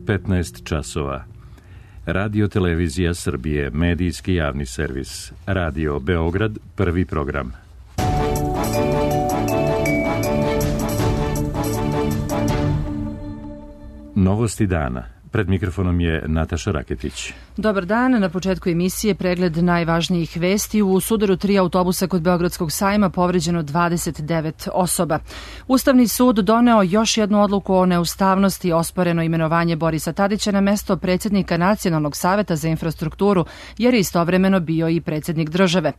15 časova. Radio Televizija Srbije, medijski javni servis. Radio Beograd, prvi program. Novosti dana. Pred mikrofonom je Nataša Raketić. Dobar dan. Na početku emisije pregled najvažnijih vesti. U sudaru 3 autobusa kod Beogradskog sajma povređeno 29 osoba. Ustavni sud doneo još jednu odluku o neustavnosti, osporeno imenovanje Borisa Tadića na mesto predsjednika Nacionalnog saveta za infrastrukturu, jer je istovremeno bio i predsjednik države.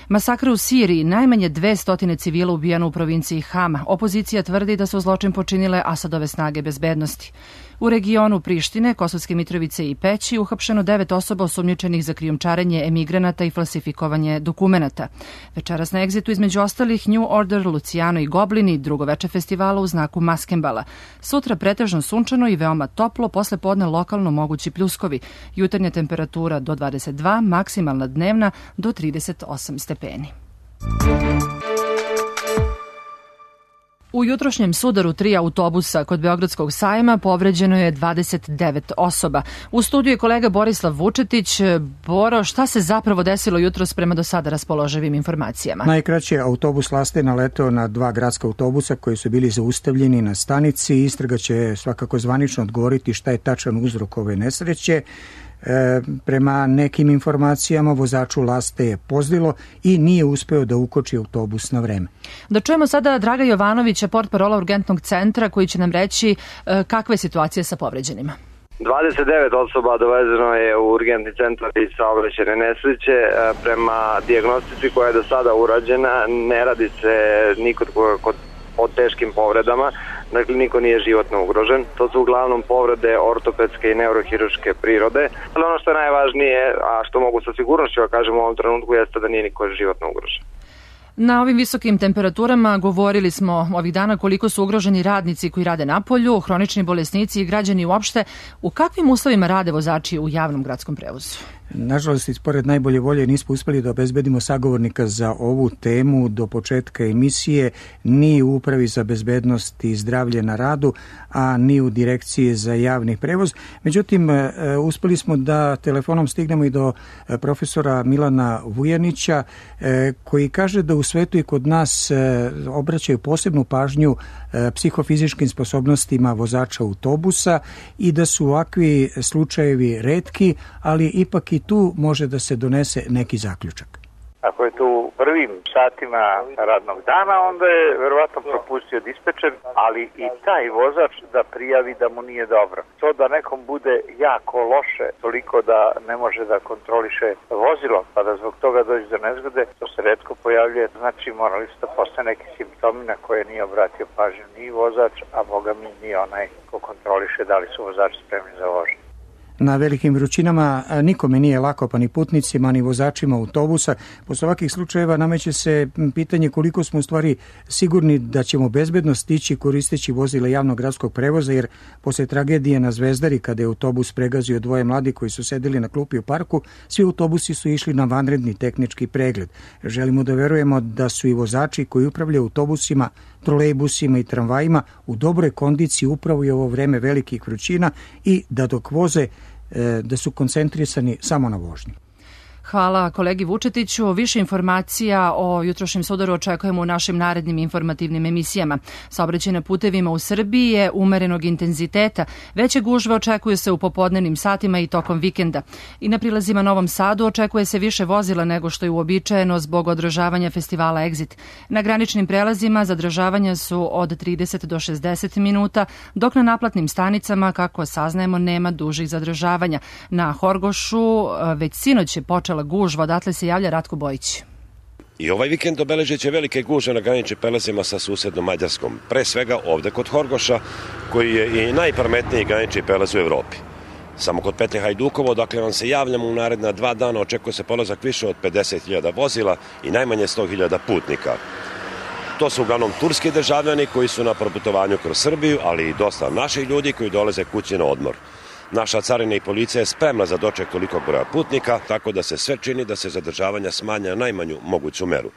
Masakr u Siriji, najmanje 200 civila ubijeno u provinciji Hama. Opozicija tvrdi da su zločin počinile Asadove snage bezbednosti. U regionu Prištine, Kosovske Mitrovice i Peći uhapšeno 9 osoba osumnjičenih za krijumčarenje emigranata i falsifikovanje dokumenata. Večeras na egzitu između ostalih New Order, Luciano i Goblini, drugo veče festivala u znaku Maskembala. Sutra pretežno sunčano i veoma toplo, posle podne lokalno mogući pljuskovi. Jutarnja temperatura do 22, maksimalna dnevna do 38 stepeni. U jutrošnjem sudaru 3 autobusa kod Beogradskog sajma povređeno je 29 osoba. U studiju je kolega Borislav Vučetić. Boro, šta se zapravo desilo jutros prema do sada raspoloživim informacijama? Najkraće, autobus Laste naleteo na 2 gradska autobusa koji su bili zaustavljeni na stanici. Istraga će svakako zvanično odgovoriti šta je tačan uzrok ove nesreće. Prema nekim informacijama vozaču Laste je pozlilo i nije uspeo da ukoči autobus na vreme. Da čujemo sada Draga Jovanovića, portparola urgentnog centra, koji će nam reći kakva je situacija sa povređenima. 29 osoba dovezeno je u urgentni centar iz saobraćajne nesreće. Prema dijagnostici koja je do sada urađena, ne radi se nikod o teškim povredama, dakle niko nije životno ugrožen. To su uglavnom povrede ortopedske i neurohiruške prirode. Ali ono što je najvažnije, a što mogu sa sigurnošću da kažem u ovom trenutku, jeste da nije niko životno ugrožen. Na ovim visokim temperaturama govorili smo ovih dana koliko su ugroženi radnici koji rade napolju, hronični bolesnici i građani uopšte. U kakvim uslovima rade vozači u javnom gradskom prevozu? Nažalost, ispored najbolje volje nismo uspeli da obezbedimo sagovornika za ovu temu do početka emisije, ni u Upravi za bezbednost i zdravlje na radu, a ni u Direkciji za javni prevoz. Međutim, uspeli smo da telefonom stignemo i do profesora Milana Vujanića, koji kaže da u svetu i kod nas obraćaju posebnu pažnju psihofizičkim sposobnostima vozača autobusa i da su ovakvi slučajevi retki, ali ipak i tu može da se donese neki zaključak. Ako je to u prvim satima radnog dana, onda je verovatno propustio dispečer, ali i taj vozač da prijavi da mu nije dobro. To da nekom bude jako loše, toliko da ne može da kontroliše vozilo, pa da zbog toga dođe do nezgode, to se retko pojavljuje. Znači, morali su da postoje neki simptomi na koje nije obratio pažnju ni vozač, a boga mi ni onaj ko kontroliše da li su vozači spremni za vožnju. Na velikim vrućinama nikome nije lako, pa ni putnicima, ni vozačima autobusa. Posle ovakvih slučajeva nameće se pitanje koliko smo u stvari sigurni da ćemo bezbedno stići koristeći vozila javnog gradskog prevoza, jer posle tragedije na Zvezdari, kada je autobus pregazio 2 mladi koji su sedeli na klupi u parku, svi autobusi su išli na vanredni tehnički pregled. Želimo da verujemo da su i vozači koji upravljaju autobusima, trolejbusima i tramvajima u dobroj kondiciji upravo i ovo vreme velikih vrućina i da dok voze da su koncentrisani samo na vožnji. Hvala kolegi Vučetiću. Više informacija o jutrošnjem sudaru očekujemo u našim narednim informativnim emisijama. Saobraćaj na putevima u Srbiji je umerenog intenziteta. Veće gužve očekuju se u popodnevnim satima i tokom vikenda. I na prilazima Novom Sadu očekuje se više vozila nego što je uobičajeno zbog održavanja festivala Exit. Na graničnim prelazima zadržavanja su od 30 do 60 minuta, dok na naplatnim stanicama, kako saznajemo, nema dužih zadržavanja. Na Horgošu već sinoć je počela gužva, odatle se javlja Ratko Bojić. I ovaj vikend obeležit će velike gužve na graničnim prelazima sa susednom Mađarskom. Pre svega ovde kod Horgoša, koji je i najprometniji granični prelaz u Evropi. Samo kod Petlje Hajdukovo, dakle vam se javljamo u naredna 2 dana, očekuje se polazak više od 50.000 vozila i najmanje 100.000 putnika. To su uglavnom turski državljani koji su na proputovanju kroz Srbiju, ali i dosta naših ljudi koji dolaze kući na odmor. Naša carina i policija je spremna za doček tolikog broja putnika, tako da se sve čini da se zadržavanja smanja na najmanju moguću meru.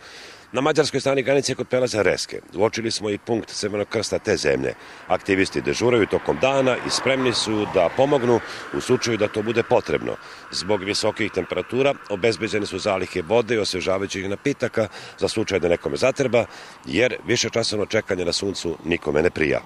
Na mađarskoj strani granice kod prelaza Reske uočili smo i punkt Crvenog krsta te zemlje. Aktivisti dežuraju tokom dana i spremni su da pomognu u slučaju da to bude potrebno. Zbog visokih temperatura obezbeđene su zalihe vode i osvežavajućih napitaka za slučaj da nekome zatreba, jer višečasovno čekanje na suncu nikome ne prija.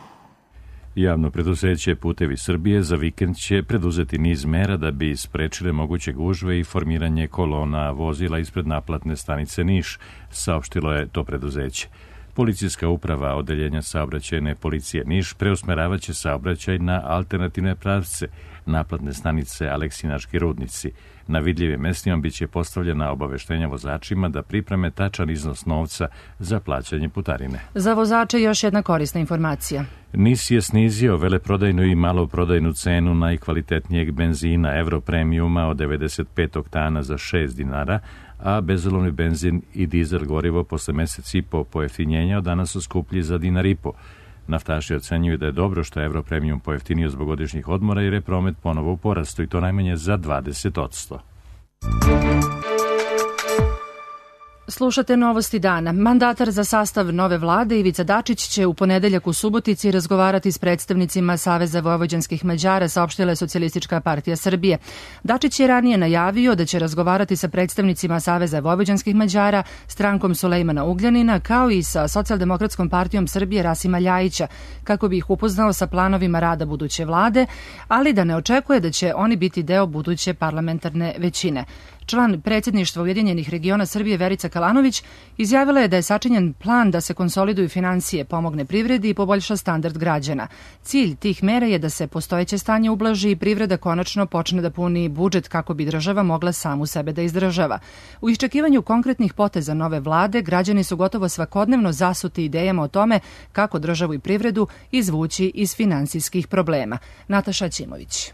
Javno preduzeće Putevi Srbije za vikend će preduzeti niz mera da bi sprečile moguće gužve i formiranje kolona vozila ispred naplatne stanice Niš, saopštilo je to preduzeće. Policijska uprava Odeljenja saobraćajne policije Niš preusmeravaće saobraćaj na alternativne pravce naplatne stanice Aleksinački rudnici. Na vidljivim mestima biće postavljena obaveštenja vozačima da pripreme tačan iznos novca za plaćanje putarine. Za vozače još jedna korisna informacija. NIS je snizio veleprodajnu i maloprodajnu cenu najkvalitetnijeg benzina Europremiuma od 95 oktana za 6 dinara, a bezolovni benzin i dizel gorivo posle mesec i po pojeftinjenja od danas su skuplji za dinar i po. Naftaši ocenjuju da je dobro što je Europremium pojeftinio zbog godišnjih odmora jer je promet ponovo u porastu i to najmanje za 20%. Slušate novosti dana. Mandatar za sastav nove vlade Ivica Dačić će u ponedeljak u Subotici razgovarati s predstavnicima Saveza vojvođanskih Mađara, saopštila je Socijalistička partija Srbije. Dačić je ranije najavio da će razgovarati sa predstavnicima Saveza vojvođanskih Mađara, strankom Sulejmana Ugljanina, kao i sa Socijaldemokratskom partijom Srbije Rasima Ljajića, kako bi ih upoznao sa planovima rada buduće vlade, ali da ne očekuje da će oni biti deo buduće parlamentarne većine. Član predsjedništva Ujedinjenih regiona Srbije Verica Kalanović izjavila je da je sačinjen plan da se konsoliduju finansije, pomogne privredi i poboljša standard građana. Cilj tih mera je da se postojeće stanje ublaži i privreda konačno počne da puni budžet kako bi država mogla samu sebe da izdržava. U iščekivanju konkretnih poteza nove vlade, građani su gotovo svakodnevno zasuti idejama o tome kako državu i privredu izvući iz finansijskih problema. Nataša Ćimović.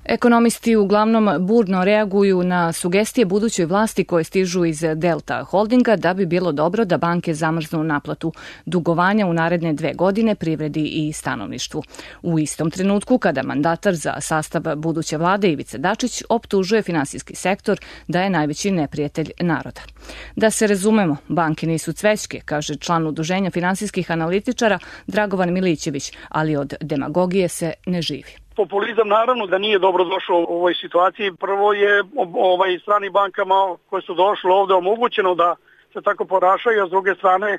Ekonomisti uglavnom burno reaguju na sugestije budućoj vlasti koje stižu iz Delta Holdinga da bi bilo dobro da banke zamrznu naplatu dugovanja u naredne 2 godine privredi i stanovništvu. U istom trenutku kada mandatar za sastav buduće vlade Ivica Dačić optužuje finansijski sektor da je najveći neprijatelj naroda. Da se razumemo, banke nisu cvećke, kaže član Udruženja finansijskih analitičara Dragovan Milićević, ali od demagogije se ne živi. Populizam naravno da nije dobro došao u ovoj situaciji. Prvo je stranim bankama koje su došle ovde omogućeno da se tako ponašaju, a s druge strane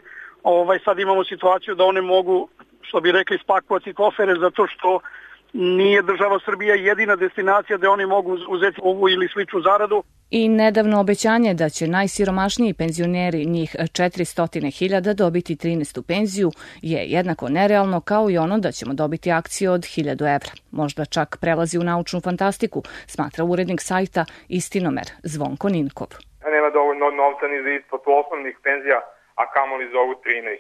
sad imamo situaciju da one mogu, što bi rekli, spakovati kofere zato što nije država Srbija jedina destinacija gde oni mogu uzeti ovu ili sličnu zaradu. I nedavno obećanje da će najsiromašniji penzioneri, njih 400.000, dobiti 13. penziju je jednako nerealno kao i ono da ćemo dobiti akciju od 1.000 evra. Možda čak prelazi u naučnu fantastiku, smatra urednik sajta Istinomer Zvonko Ninkov. Nema dovoljno novca ni za isplatu osnovnih penzija, a kamoli za ovu 13.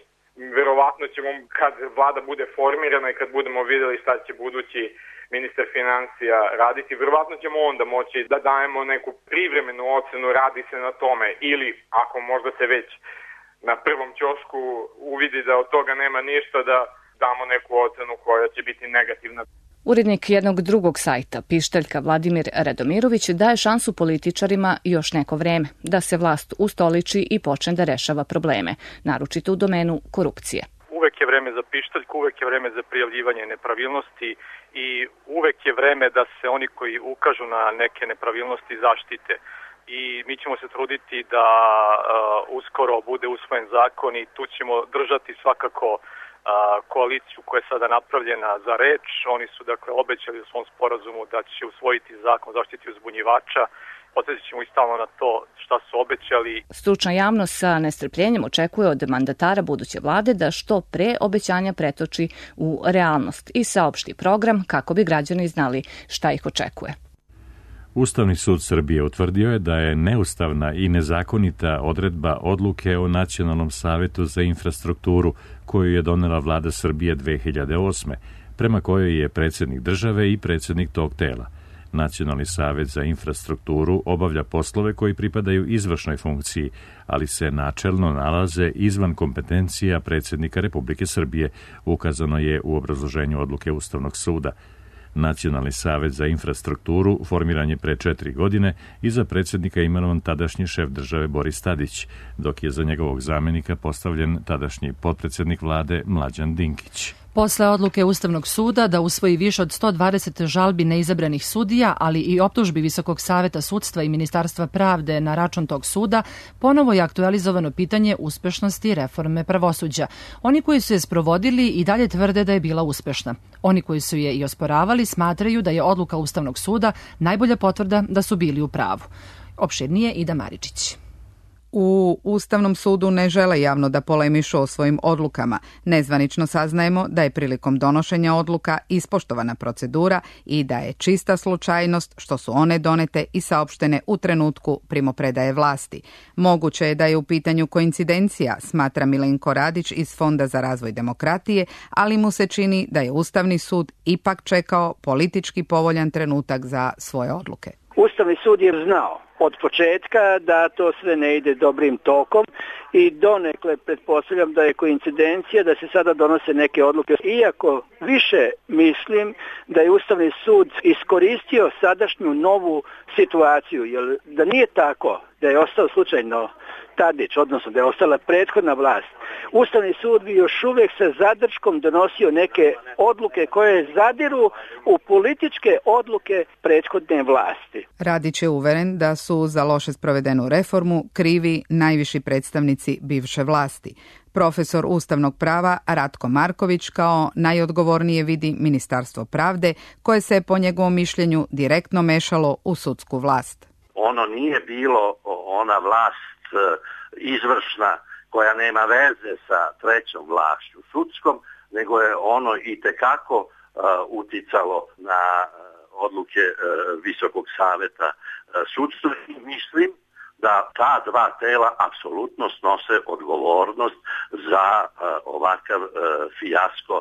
Verovatno ćemo, kad vlada bude formirana i kad budemo videli šta će budući ministar financija raditi, verovatno ćemo onda moći da dajemo neku privremenu ocenu, radi se na tome, ili ako možda se već na prvom ćošku uvidi da od toga nema ništa, da damo neku ocenu koja će biti negativna. Urednik jednog drugog sajta, pištaljka Vladimir Radomirović, daje šansu političarima još neko vreme da se vlast ustoliči i počne da rešava probleme, naročito u domenu korupcije. Uvek je vreme za pištaljku, uvek je vreme za prijavljivanje nepravilnosti i uvek je vreme da se oni koji ukažu na neke nepravilnosti zaštite. I mi ćemo se truditi da uskoro bude usvojen zakon i tu ćemo držati svakako koaliciju koja je sada napravljena za reč. Oni su dakle obećali u svom sporazumu da će usvojiti zakon o zaštiti uzbunjivača. Podsjetit ćemo i stalno na to šta su obećali. Stručna javnost sa nestrpljenjem očekuje od mandatara buduće vlade da što pre obećanja pretoči u realnost i saopšti program kako bi građani znali šta ih očekuje. Ustavni sud Srbije utvrdio je da je neustavna i nezakonita odredba odluke o Nacionalnom savetu za infrastrukturu koju je donela vlada Srbije 2008. prema kojoj je predsjednik države i predsjednik tog tela. Nacionalni savet za infrastrukturu obavlja poslove koji pripadaju izvršnoj funkciji, ali se načelno nalaze izvan kompetencija predsjednika Republike Srbije, ukazano je u obrazloženju odluke Ustavnog suda. Nacionalni savet za infrastrukturu formiran je pre 4 godine i za predsjednika imenovan tadašnji šef države Boris Tadić, dok je za njegovog zamenika postavljen tadašnji potpredsjednik vlade Mlađan Dinkić. Posle odluke Ustavnog suda da usvoji više od 120 žalbi neizabranih sudija, ali i optužbi Visokog saveta sudstva i Ministarstva pravde na račun tog suda, ponovo je aktualizovano pitanje uspešnosti reforme pravosuđa. Oni koji su je sprovodili i dalje tvrde da je bila uspešna. Oni koji su je i osporavali smatraju da je odluka Ustavnog suda najbolja potvrda da su bili u pravu. Opširnije Ida Maričić. U Ustavnom sudu ne žele javno da polemišu o svojim odlukama. Nezvanično saznajemo da je prilikom donošenja odluka ispoštovana procedura i da je čista slučajnost što su one donete i saopštene u trenutku primopredaje vlasti. Moguće je da je u pitanju koincidencija, smatra Milenko Radić iz Fonda za razvoj demokratije, ali mu se čini da je Ustavni sud ipak čekao politički povoljan trenutak za svoje odluke. Ustavni sud je znao od početka da to sve ne ide dobrim tokom i donekle pretpostavljam da je koincidencija da se sada donose neke odluke. Iako više mislim da je Ustavni sud iskoristio sadašnju novu situaciju, jer da nije tako, da je ostao slučajno Tadić, odnosno da je ostala prethodna vlast, Ustavni sud bi još uvijek sa zadrškom donosio neke odluke koje zadiru u političke odluke prethodne vlasti. Radić je uveren da su za loše sprovedenu reformu krivi najviši predstavnici bivše vlasti. Profesor ustavnog prava Ratko Marković kao najodgovornije vidi Ministarstvo pravde, koje se po njegovom mišljenju direktno mešalo u sudsku vlast. Ono nije bilo ona vlast izvršna koja nema veze sa trećom vlašću sudskom, nego je ono itekako uticalo na odluke Visokog saveta sudstva. Mislim da ta dva tela apsolutno snose odgovornost za ovakav fijasko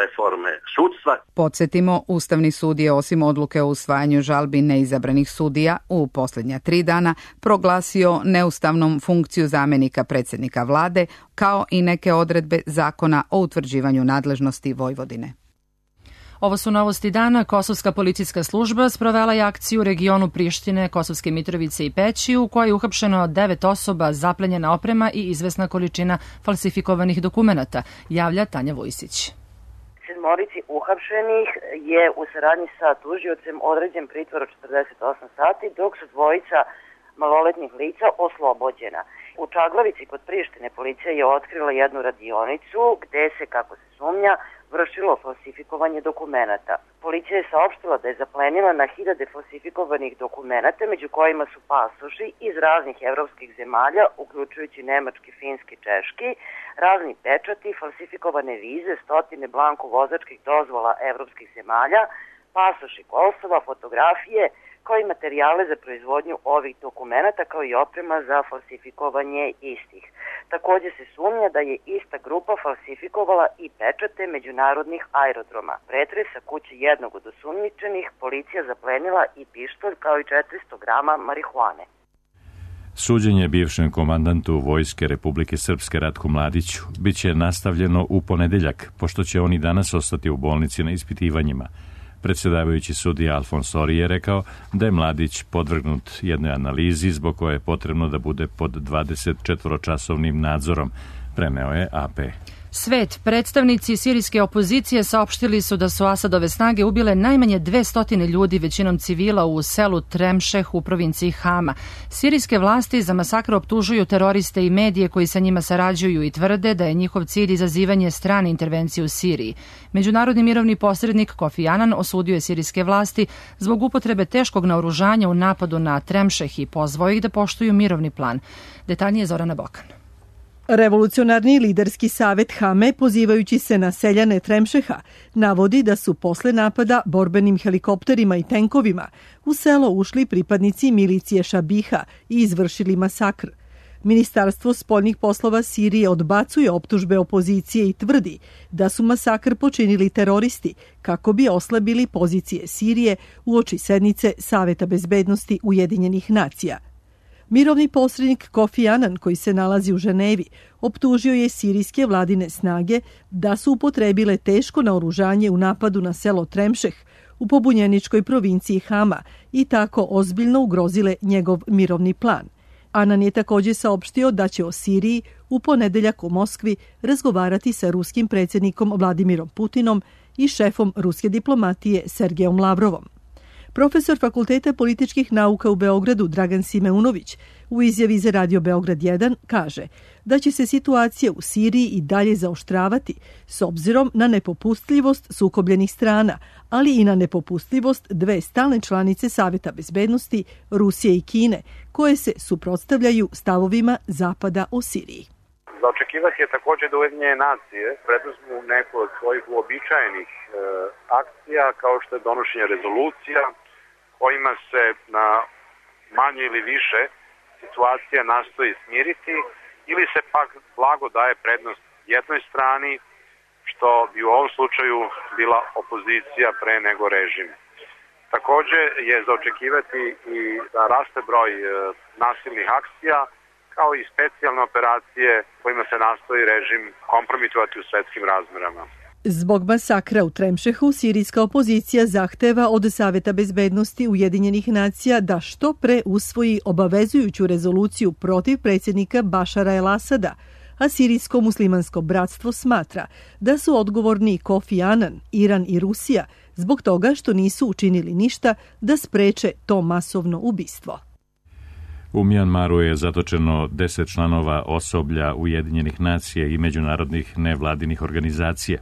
reforme sudstva. Podsjetimo, Ustavni sud je osim odluke o usvajanju žalbi neizabranih sudija u posljednja 3 dana proglasio neustavnom funkciju zamjenika predsjednika vlade, kao i neke odredbe zakona o utvrđivanju nadležnosti Vojvodine. Ovo su novosti dana. Kosovska policijska služba sprovela je akciju u regionu Prištine, Kosovske Mitrovice i Peći, u kojoj je uhapšeno 9 osoba, zaplenjena oprema i izvesna količina falsifikovanih dokumenata, javlja Tanja Vojsić. 7 uhapšenih je u saradnji sa tužiocem određen pritvor od 48 sati, dok su 2 maloletnih lica oslobođena. U Čaglavici kod Prištine policija je otkrila jednu radionicu gde se, kako se sumnja, vršilo falsifikovanje dokumenata. Policija je saopštila da je zaplenila na 1000 falsifikovanih dokumenata, među kojima su pasoši iz raznih evropskih zemalja, uključujući nemački, finski, češki, razni pečati, falsifikovane vize, 100 blanko vozačkih dozvola evropskih zemalja, pasoši Kosova, fotografije, kao i materijale za proizvodnju ovih dokumenata, kao i oprema za falsifikovanje istih. Također se sumnja da je ista grupa falsifikovala i pečate međunarodnih aerodroma. Pretres sa kuće jednog od osumnjičenih policija zaplenila i pištolj kao i 400 grama marihuane. Suđenje bivšem komandantu Vojske Republike Srpske Ratku Mladiću biće nastavljeno u ponedeljak, pošto će on i danas ostati u bolnici na ispitivanjima. Predsjedavajući sudija Alfons Ori je rekao da je Mladić podvrgnut jednoj analizi zbog koje je potrebno da bude pod 24-časovnim nadzorom, preneo je AP. Svet, predstavnici sirijske opozicije saopštili su da su Asadove snage ubile najmanje 200 ljudi, većinom civila, u selu Tremšeh u provinciji Hama. Sirijske vlasti za masakr optužuju teroriste i medije koji sa njima sarađuju i tvrde da je njihov cilj izazivanje strane intervencije u Siriji. Međunarodni mirovni posrednik Kofi Annan osudio je sirijske vlasti zbog upotrebe teškog naoružanja u napadu na Tremšeh i pozvao ih da poštuju mirovni plan. Detaljnije Zorana Bokan. Revolucionarni liderski savet Hame, pozivajući se na seljane Tremšeha, navodi da su posle napada borbenim helikopterima i tenkovima u selo ušli pripadnici milicije Šabiha i izvršili masakr. Ministarstvo spoljnih poslova Sirije odbacuje optužbe opozicije i tvrdi da su masakr počinili teroristi kako bi oslabili pozicije Sirije uoči sednice Saveta bezbednosti Ujedinjenih nacija. Mirovni posrednik Kofi Annan, koji se nalazi u Ženevi, optužio je sirijske vladine snage da su upotrebile teško naoružanje u napadu na selo Tremšeh, u pobunjeničkoj provinciji Hama i tako ozbiljno ugrozile njegov mirovni plan. Anan je također saopštio da će o Siriji u ponedeljak u Moskvi razgovarati sa ruskim predsjednikom Vladimirom Putinom i šefom ruske diplomatije Sergejom Lavrovom. Profesor Fakulteta političkih nauka u Beogradu Dragan Simeunović u izjavi za Radio Beograd 1 kaže da će se situacija u Siriji i dalje zaoštravati s obzirom na nepopustljivost sukobljenih strana, ali i na nepopustljivost dve stalne članice Saveta bezbednosti, Rusije i Kine, koje se suprotstavljaju stavovima Zapada o Siriji. Za očekivati je također da Ujedinjene nacije preduzmu neku od svojih uobičajenih akcija kao što je donošenje rezolucija kojima se na manje ili više situacija nastoji smiriti ili se pak blago daje prednost jednoj strani, što bi u ovom slučaju bila opozicija pre nego režim. Također je za očekivati i da raste broj nasilnih akcija kao i specijalne operacije kojima se nastoji režim kompromitovati u svetskim razmerama. Zbog masakra u Tremšehu, sirijska opozicija zahteva od Saveta bezbednosti Ujedinjenih nacija da što pre usvoji obavezujuću rezoluciju protiv predsjednika Bašara el-Asada, a sirijsko muslimansko bratstvo smatra da su odgovorni Kofi Anan, Iran i Rusija zbog toga što nisu učinili ništa da spreče to masovno ubistvo. U Mijanmaru je zatočeno 10 članova osoblja Ujedinjenih nacija i međunarodnih nevladinih organizacija.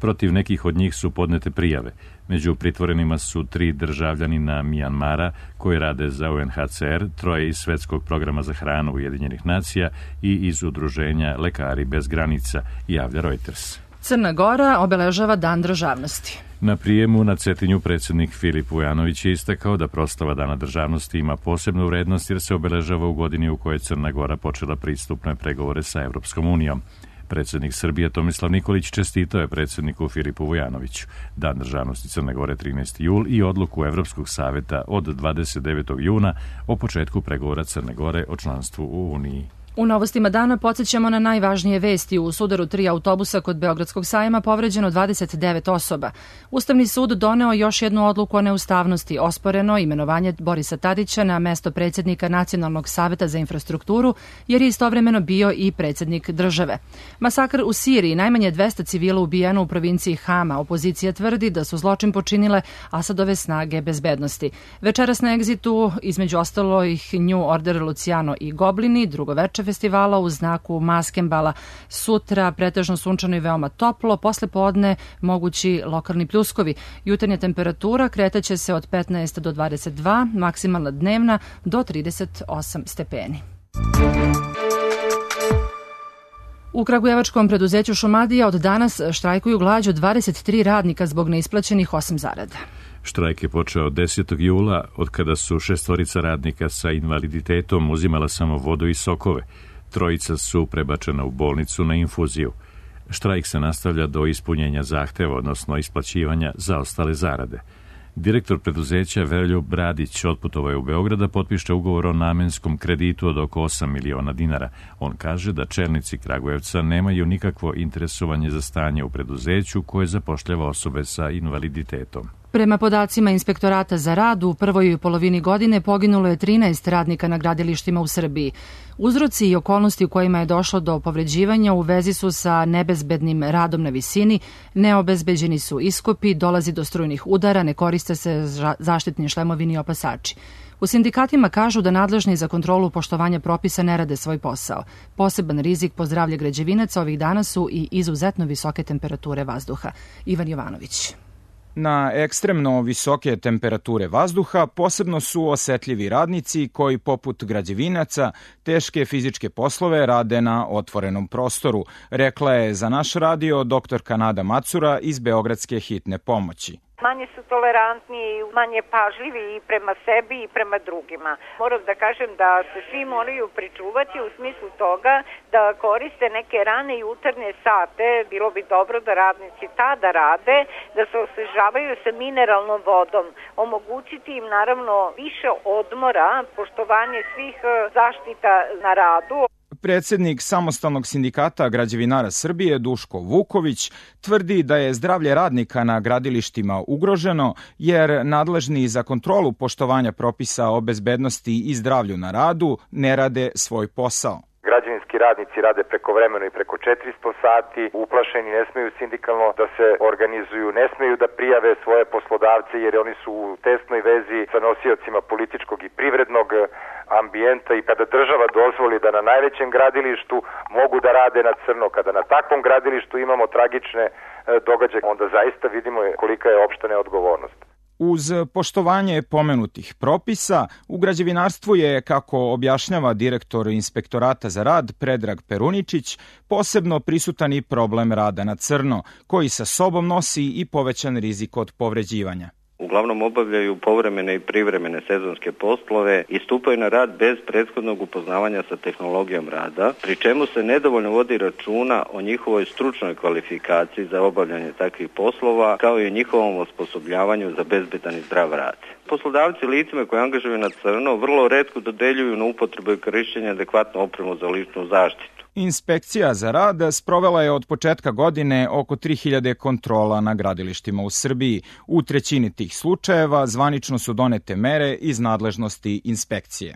Protiv nekih od njih su podnete prijave. Među pritvorenima su 3 državljanina Mijanmara koji rade za UNHCR, 3 iz Svetskog programa za hranu Ujedinjenih nacija i iz udruženja Lekari bez granica, javlja Reuters. Crna Gora obeležava Dan državnosti. Na prijemu na Cetinju predsjednik Filip Vujanović je istakao da proslava Dana državnosti ima posebnu vrednost jer se obeležava u godini u kojoj Crna Gora počela pristupne pregovore sa Evropskom unijom. Predsjednik Srbije Tomislav Nikolić čestitao je predsjedniku Filipu Vujanoviću Dan državnosti Crne Gore 13. jul i odluku Evropskog saveta od 29. juna o početku pregovora Crne Gore o članstvu u Uniji. U novostima dana podsjećamo na najvažnije vesti. U sudaru 3 autobusa kod Beogradskog sajma povređeno 29 osoba. Ustavni sud doneo još jednu odluku o neustavnosti. Osporeno imenovanje Borisa Tadića na mesto predsjednika Nacionalnog saveta za infrastrukturu, jer je istovremeno bio i predsjednik države. Masakr u Siriji, najmanje 200 civila ubijeno u provinciji Hama. Opozicija tvrdi da su zločin počinile Asadove snage bezbednosti. Večeras na egzitu, između ostalo ih New Order, Luciano i Goblini, drugo veče festivala u znaku Maskembala. Sutra pretežno sunčano i veoma toplo, posle podne mogući lokalni pljuskovi. Jutarnja temperatura kretaće se od 15 do 22, maksimalna dnevna do 38 stepeni. U kragujevačkom preduzeću Šumadija od danas štrajkuju glađu 23 radnika zbog neisplaćenih 8 zarada. Štrajk je počeo 10. jula, od kada su 6 radnika sa invaliditetom uzimala samo vodu i sokove. 3 su prebačena u bolnicu na infuziju. Štrajk se nastavlja do ispunjenja zahteva, odnosno isplaćivanja zaostale zarade. Direktor preduzeća Veroljub Bradić otputovao je u Beograd da potpiše ugovor o namenskom kreditu od oko 8 miliona dinara. On kaže da čelnici Kragujevca nemaju nikakvo interesovanje za stanje u preduzeću koje zapošljava osobe sa invaliditetom. Prema podacima Inspektorata za rad, u prvoj polovini godine poginulo je 13 radnika na gradilištima u Srbiji. Uzroci i okolnosti u kojima je došlo do povređivanja u vezi su sa nebezbednim radom na visini, neobezbeđeni su iskopi, dolazi do strujnih udara, ne koriste se zaštitni šlemovi ni opasači. U sindikatima kažu da nadležni za kontrolu poštovanja propisa ne rade svoj posao. Poseban rizik po zdravlje građevinaca ovih dana su i izuzetno visoke temperature vazduha. Ivan Jovanović. Na ekstremno visoke temperature vazduha posebno su osetljivi radnici koji, poput građevinaca, teške fizičke poslove rade na otvorenom prostoru, rekla je za naš radio doktorka Nada Macura iz Beogradske hitne pomoći. Manje su tolerantni i manje pažljivi i prema sebi i prema drugima. Moram da kažem da se svi moraju pričuvati u smislu toga da koriste neke rane jutarnje sate. Bilo bi dobro da radnici tada rade, da se osvežavaju sa mineralnom vodom. Omogućiti im naravno više odmora, poštovanje svih zaštita na radu. Predsjednik Samostalnog sindikata građevinara Srbije Duško Vuković tvrdi da je zdravlje radnika na gradilištima ugroženo jer nadležni za kontrolu poštovanja propisa o bezbednosti i zdravlju na radu ne rade svoj posao. Građevinski radnici rade prekovremeno i preko 400 sati, uplašeni, ne smeju sindikalno da se organizuju, ne smeju da prijave svoje poslodavce jer oni su u tesnoj vezi sa nosiocima političkog i privrednog ambijenta i kada država dozvoli da na najvećem gradilištu mogu da rade na crno, kada na takvom gradilištu imamo tragične događaje, onda zaista vidimo kolika je opšta neodgovornost. Uz poštovanje pomenutih propisa, u građevinarstvu je, kako objašnjava direktor Inspektorata za rad Predrag Peruničić, posebno prisutan i problem rada na crno, koji sa sobom nosi i povećan rizik od povređivanja. Uglavnom obavljaju povremene i privremene sezonske poslove i stupaju na rad bez prethodnog upoznavanja sa tehnologijom rada, pri čemu se nedovoljno vodi računa o njihovoj stručnoj kvalifikaciji za obavljanje takvih poslova, kao i o njihovom osposobljavanju za bezbedan i zdrav rad. Poslodavci licima koji angažuju na crno vrlo retko dodeljuju na upotrebu i korišćenje adekvatnu opremu za ličnu zaštitu. Inspekcija za rad sprovela je od početka godine oko 3000 kontrola na gradilištima u Srbiji. U trećini tih slučajeva zvanično su donete mere iz nadležnosti inspekcije.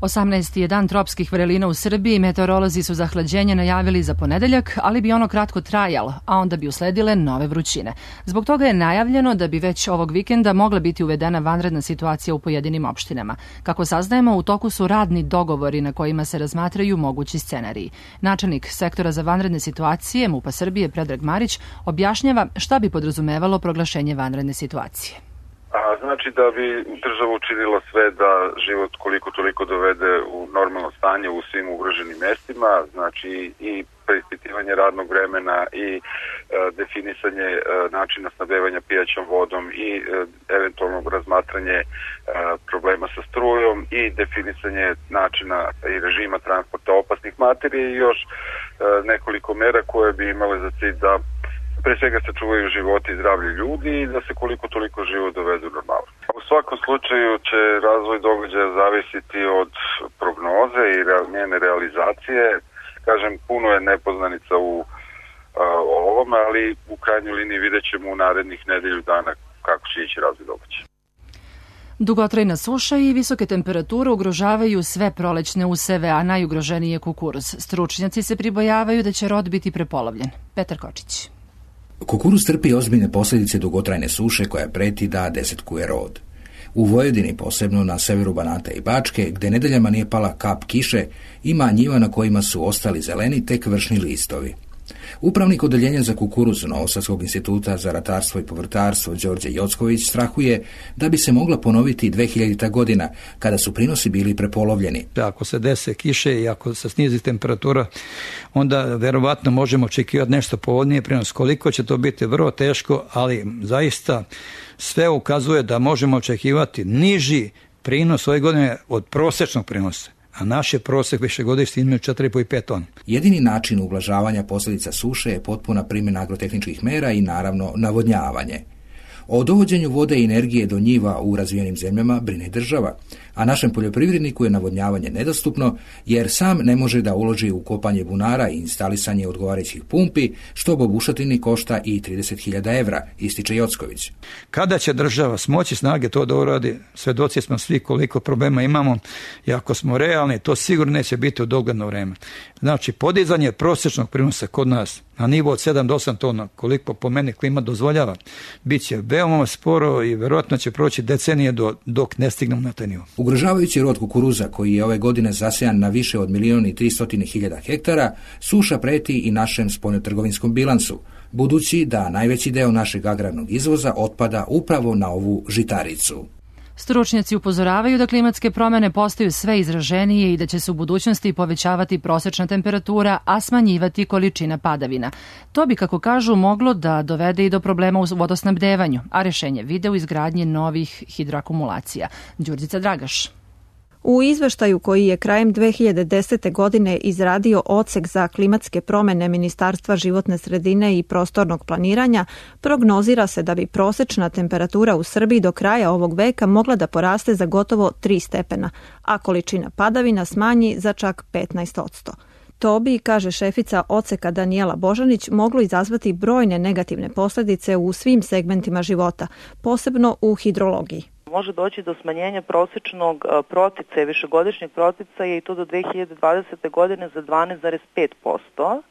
18. je dan tropskih vrelina u Srbiji, meteorolozi su zahlađenje najavili za ponedeljak, ali bi ono kratko trajalo, a onda bi usledile nove vrućine. Zbog toga je najavljeno da bi već ovog vikenda mogla biti uvedena vanredna situacija u pojedinim opštinama. Kako saznajemo, u toku su radni dogovori na kojima se razmatraju mogući scenariji. Načelnik sektora za vanredne situacije MUP-a Srbije Predrag Marić objašnjava šta bi podrazumevalo proglašenje vanredne situacije. Znači da bi država učinila sve da život koliko toliko dovede u normalno stanje u svim ugroženim mestima, znači i preispitivanje radnog vremena i definisanje načina snabdevanja pijaćom vodom i eventualno razmatranje problema sa strujom i definisanje načina i režima transporta opasnih materija i još nekoliko mera koje bi imale za cilj da pre svega se čuvaju životi i zdravlje ljudi i da se koliko toliko život dovedu normalno. U svakom slučaju će razvoj događaja zavisiti od prognoze i njene realizacije. Kažem, puno je nepoznanica u ovome, ali u krajnjoj liniji vidjet ćemo u narednih nedelju dana kako će ići razvoj događaja. Dugotrajna suša i visoke temperature ugrožavaju sve prolećne useve, a najugroženiji je kukuruz. Stručnjaci se pribojavaju da će rod biti prepolovljen. Petar Kočić. Kukuruz trpi ozbiljne posljedice dugotrajne suše koja preti da desetkuje rod. U Vojvodini, posebno na severu Banata i Bačke, gde nedeljama nije pala kap kiše, ima njiva na kojima su ostali zeleni tek vršni listovi. Upravnik odeljenja za kukuruz Novosadskog instituta za ratarstvo i povrtarstvo Đorđe Jocković strahuje da bi se mogla ponoviti 2000. godina, kada su prinosi bili prepolovljeni. Ako se dese kiše i ako se snizi temperatura, onda verovatno možemo očekivati nešto povoljnije prinos. Koliko će to biti, vrlo teško, ali zaista sve ukazuje da možemo očekivati niži prinos ove godine od prosječnog prinosa. A naš je prosjek višegodišnji između 4,5 i 5 tona. Jedini način ublažavanja posljedica suše je potpuna primjena agrotehničkih mera i naravno navodnjavanje. O dovođenju vode i energije do njiva u razvijenim zemljama brine država, a našem poljoprivredniku je navodnjavanje nedostupno jer sam ne može da uloži u kopanje bunara i instalisanje odgovarajućih pumpi, što po bušotini košta i 30.000 evra, ističe Jocković. Kada će država smoći snage to da uradi, svedoci smo svi koliko problema imamo i ako smo realni, to sigurno neće biti u dogledno vreme. Znači, podizanje prosječnog prinosa kod nas na nivo od 7 do 8 tona, koliko po meni klima dozvoljava, bit će veoma sporo i verovatno će proći decenije dok ne stignemo na taj nivo. Ugrožavajući rod kukuruza, koji je ove godine zasejan na više od 1.300.000 hektara, suša preti i našem spoljnotrgovinskom bilansu, budući da najveći deo našeg agrarnog izvoza otpada upravo na ovu žitaricu. Stručnjaci upozoravaju da klimatske promene postaju sve izraženije i da će se u budućnosti povećavati prosečna temperatura, a smanjivati količina padavina. To bi, kako kažu, moglo da dovede i do problema u vodosnabdevanju, a rešenje vide u izgradnji novih hidroakumulacija. Đurđica Dragaš. U izveštaju koji je krajem 2010. godine izradio Odsek za klimatske promene Ministarstva životne sredine i prostornog planiranja, prognozira se da bi prosečna temperatura u Srbiji do kraja ovog veka mogla da poraste za gotovo 3 stepena, a količina padavina smanji za čak 15%. To bi, kaže šefica Odseka Danijela Božanić, moglo izazvati brojne negativne posljedice u svim segmentima života, posebno u hidrologiji. Može doći do smanjenja prosječnog proticaja, višegodišnjeg proticaja i to do 2020. godine za 12,5%,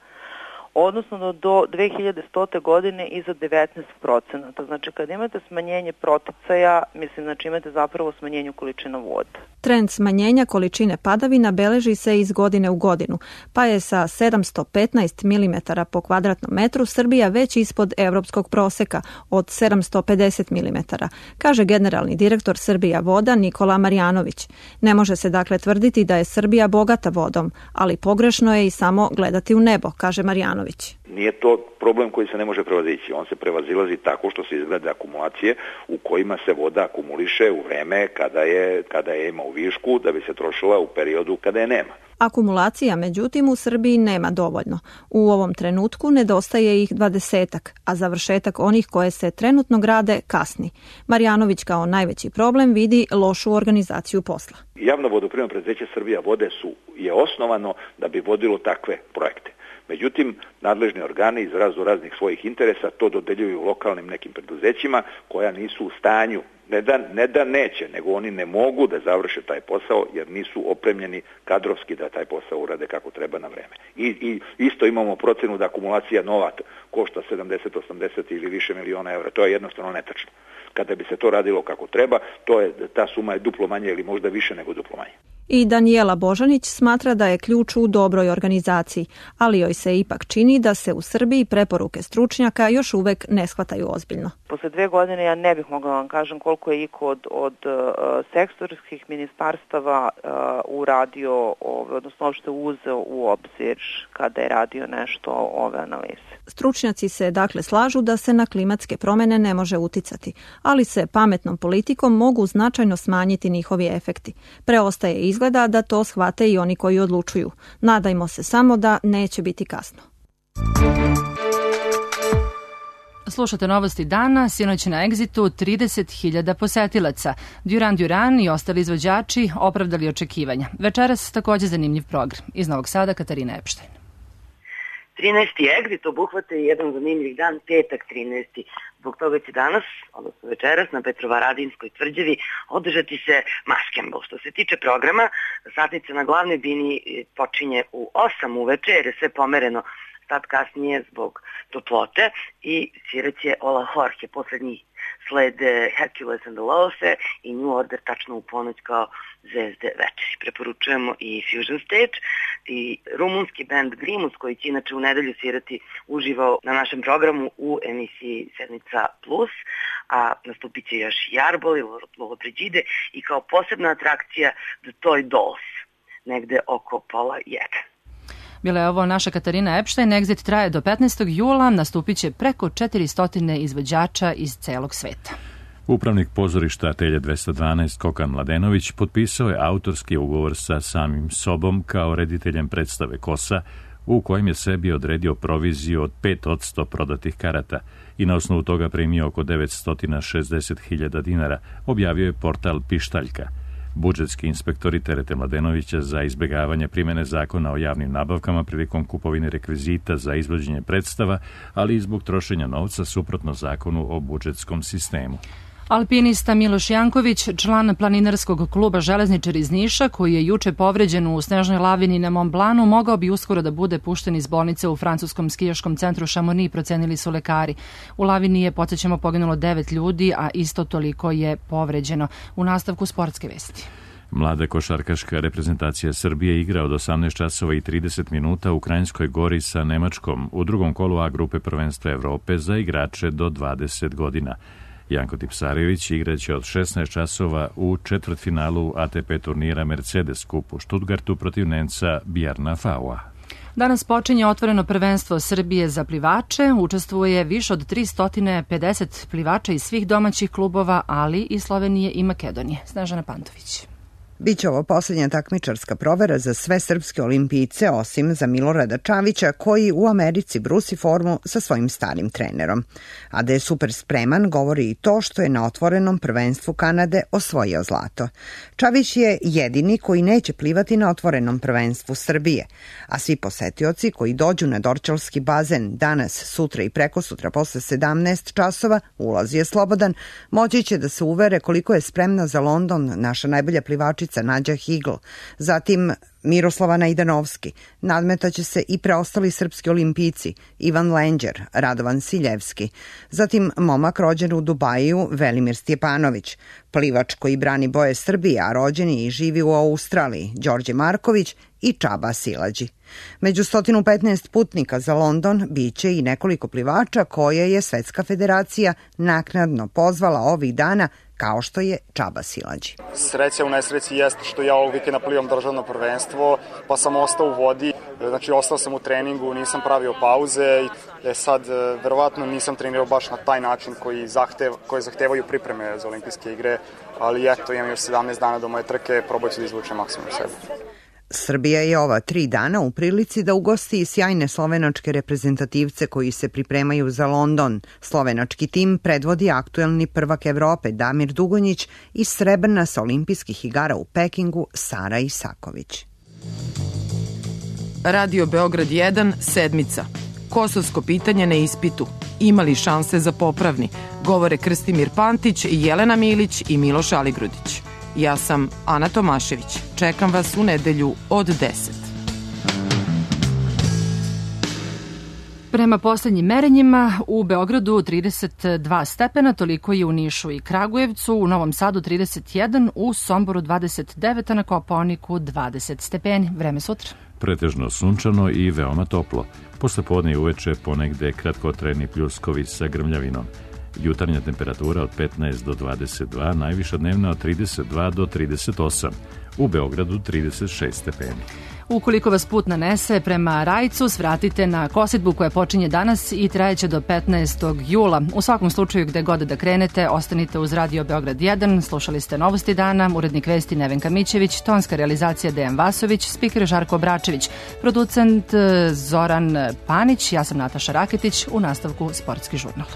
odnosno do 2100. godine i za 19%. Znači kad imate smanjenje proticaja, znači imate zapravo smanjenje količina vode. Trend smanjenja količine padavina beleži se iz godine u godinu, pa je sa 715 mm po kvadratnom metru Srbija već ispod evropskog proseka od 750 mm, kaže generalni direktor Srbija voda Nikola Marjanović. Ne može se dakle tvrditi da je Srbija bogata vodom, ali pogrešno je i samo gledati u nebo, kaže Marjanović. Nije to problem koji se ne može prevazići. On se prevazilazi tako što se izgleda akumulacije u kojima se voda akumuliše u vreme kada je ima u višku, da bi se trošila u periodu kada je nema. Akumulacija, međutim, u Srbiji nema dovoljno. U ovom trenutku nedostaje ih 20-ak, a završetak onih koje se trenutno grade kasni. Marjanović kao najveći problem vidi lošu organizaciju posla. Javno vodoprivredno preduzeće Srbija vode je osnovano da bi vodilo takve projekte. Međutim, nadležni organi iz raznih svojih interesa to dodeljuju lokalnim nekim preduzećima koja nisu u stanju, ne da neće, nego oni ne mogu da završe taj posao jer nisu opremljeni kadrovski da taj posao urade kako treba na vreme. I isto imamo procenu da akumulacija nova košta 70, 80 ili više miliona evra. To je jednostavno netačno. Kada bi se to radilo kako treba, ta suma je duplo manje ili možda više nego duplo manje. I Danijela Božanić smatra da je ključ u dobroj organizaciji, ali joj se ipak čini da se u Srbiji preporuke stručnjaka još uvek ne shvataju ozbiljno. Posle 2 godine ja ne bih mogla vam kažem koliko je iko od sektorskih ministarstava uradio, odnosno uopšte uzeo u obzir kada je radio nešto ove analize. Stručnjaci se dakle slažu da se na klimatske promene ne može uticati, ali se pametnom politikom mogu značajno smanjiti njihovi efekti. Preostaje izgleda da to shvate i oni koji odlučuju. Nadajmo se samo da neće biti kasno. Slušate novosti dana, sinoć na Exitu 30.000 posetilaca. Duran i ostali izvođači opravdali očekivanja. Večeras takođe zanimljiv program. Iz Novog Sada Katarina Epštajn. 13. Exit obuhvata je jedan zanimljiv dan, petak 13. Zbog toga će danas, odnosno večeras, na Petrovaradinskoj tvrđavi održati se maskembl. Što se tiče programa, satnica na glavnoj bini počinje u 8 uveče jer je sve pomereno sad kasnije zbog toplote i sviraće Ola Jorge, poslednji slede Hercules and the Love i New Order tačno u ponoć kao zvezde večeri. Preporučujemo i Fusion Stage i rumunski band Grimus koji će inače u nedelju svirati uživo na našem programu u emisiji Sedmica Plus, a nastupit će još Jarbol i Lollobrigida i kao posebna atrakcija The Toy Dolls, negde oko 12:30. Bila je ovo naša Katarina Epštajn. Exit traje do 15. jula, nastupit će preko 400 izvođača iz celog sveta. Upravnik pozorišta Atelje 212 Kokan Mladenović potpisao je autorski ugovor sa samim sobom kao rediteljem predstave Kosa, u kojem je sebi odredio proviziju od 5% prodatih karata i na osnovu toga primio oko 960.000 dinara, objavio je portal Pištaljka. Budžetski inspektori terete Mladenovića za izbegavanje primene zakona o javnim nabavkama prilikom kupovine rekvizita za izvođenje predstava, ali i zbog trošenja novca suprotno zakonu o budžetskom sistemu. Alpinista Miloš Janković, član planinarskog kluba Železničar iz Niša, koji je juče povređen u snežnoj lavini na Mont Blancu, mogao bi uskoro da bude pušten iz bolnice u francuskom skijaškom centru Chamonix, procenili su lekari. U lavini je, podsjećamo, poginulo 9 ljudi, a isto toliko je povređeno. U nastavku sportske vesti. Mlada košarkaška reprezentacija Srbije igra od 18 časova i 30 minuta u Kranjskoj Gori sa Nemačkom u drugom kolu A grupe prvenstva Evrope za igrače do 20 godina. Janko Tipsarević igraće od 16 časova u četvrtfinalu ATP turnira Mercedes Cup u Stuttgartu protiv Nemca Bjarna Faua. Danas počinje otvoreno prvenstvo Srbije za plivače. Učestvuje više od 350 plivača iz svih domaćih klubova, ali i Slovenije i Makedonije. Snežana Pantović. Biće ovo posljednja takmičarska provera za sve srpske olimpijce, osim za Milorada Čavića, koji u Americi brusi formu sa svojim starim trenerom. A da je super spreman govori i to što je na otvorenom prvenstvu Kanade osvojio zlato. Čavić je jedini koji neće plivati na otvorenom prvenstvu Srbije, a svi posetioci koji dođu na Dorćolski bazen danas, sutra i prekosutra posle 17 časova, ulaz je slobodan, moći će da se uvere koliko je spremna za London naša najbolja plivačica Nađa Higl, zatim Miroslava Najdanovski, nadmetaće se i preostali srpski olimpijci Ivan Lenđer, Radovan Siljevski, zatim momak rođen u Dubaju Velimir Stjepanović, plivač koji brani boje Srbije, a rođeni i živi u Australiji Đorđe Marković i Čaba Silađi. Među 115 putnika za London biće i nekoliko plivača koje je Svetska federacija naknadno pozvala ovih dana, kao što je Čaba Silađi. Sreća u nesreći jeste što ja ovog vikenda plivam državno prvenstvo, pa sam ostao u vodi, znači ostao sam u treningu, nisam pravio pauze. Sad, verovatno nisam trenirao baš na taj način koji zahtevaju pripreme za olimpijske igre, ali eto, imam još 17 dana do moje trke, probat ću da izvučem maksimum sebe. Srbija je ova 3 dana u prilici da ugosti sjajne slovenačke reprezentativce koji se pripremaju za London. Slovenački tim predvodi aktuelni prvak Evrope Damir Dugonjić i srebrna sa olimpijskih igara u Pekingu Sara Isaković. Radio Beograd 1, sedmica. Kosovsko pitanje na ispitu. Ima li šanse za popravni? Govore Krstimir Pantić, Jelena Milić i Miloš Aligrudić. Ja sam Ana Tomašević. Čekam vas u nedelju od 10. Prema poslednjim merenjima u Beogradu 32 stepena, toliko je u Nišu i Kragujevcu, u Novom Sadu 31, u Somboru 29, a na Kopaoniku 20 stepeni. Vreme sutra. Pretežno sunčano i veoma toplo. Posle podne i uveče ponegde kratkotrajni pljuskovi sa grmljavinom. Jutarnja temperatura od 15 do 22, najviša dnevna od 32 do 38. U Beogradu 36 stepeni. Ukoliko vas put nanese prema Rajcu, svratite na kosidbu koja počinje danas i trajeće do 15. jula. U svakom slučaju, gde god da krenete, ostanite uz Radio Beograd 1. Slušali ste Novosti dana, urednik vesti Nevenka Mićević, tonska realizacija Dejan Vasović, spiker Žarko Bračević, producent Zoran Panić, ja sam Nataša Raketić, u nastavku Sportski žurnal.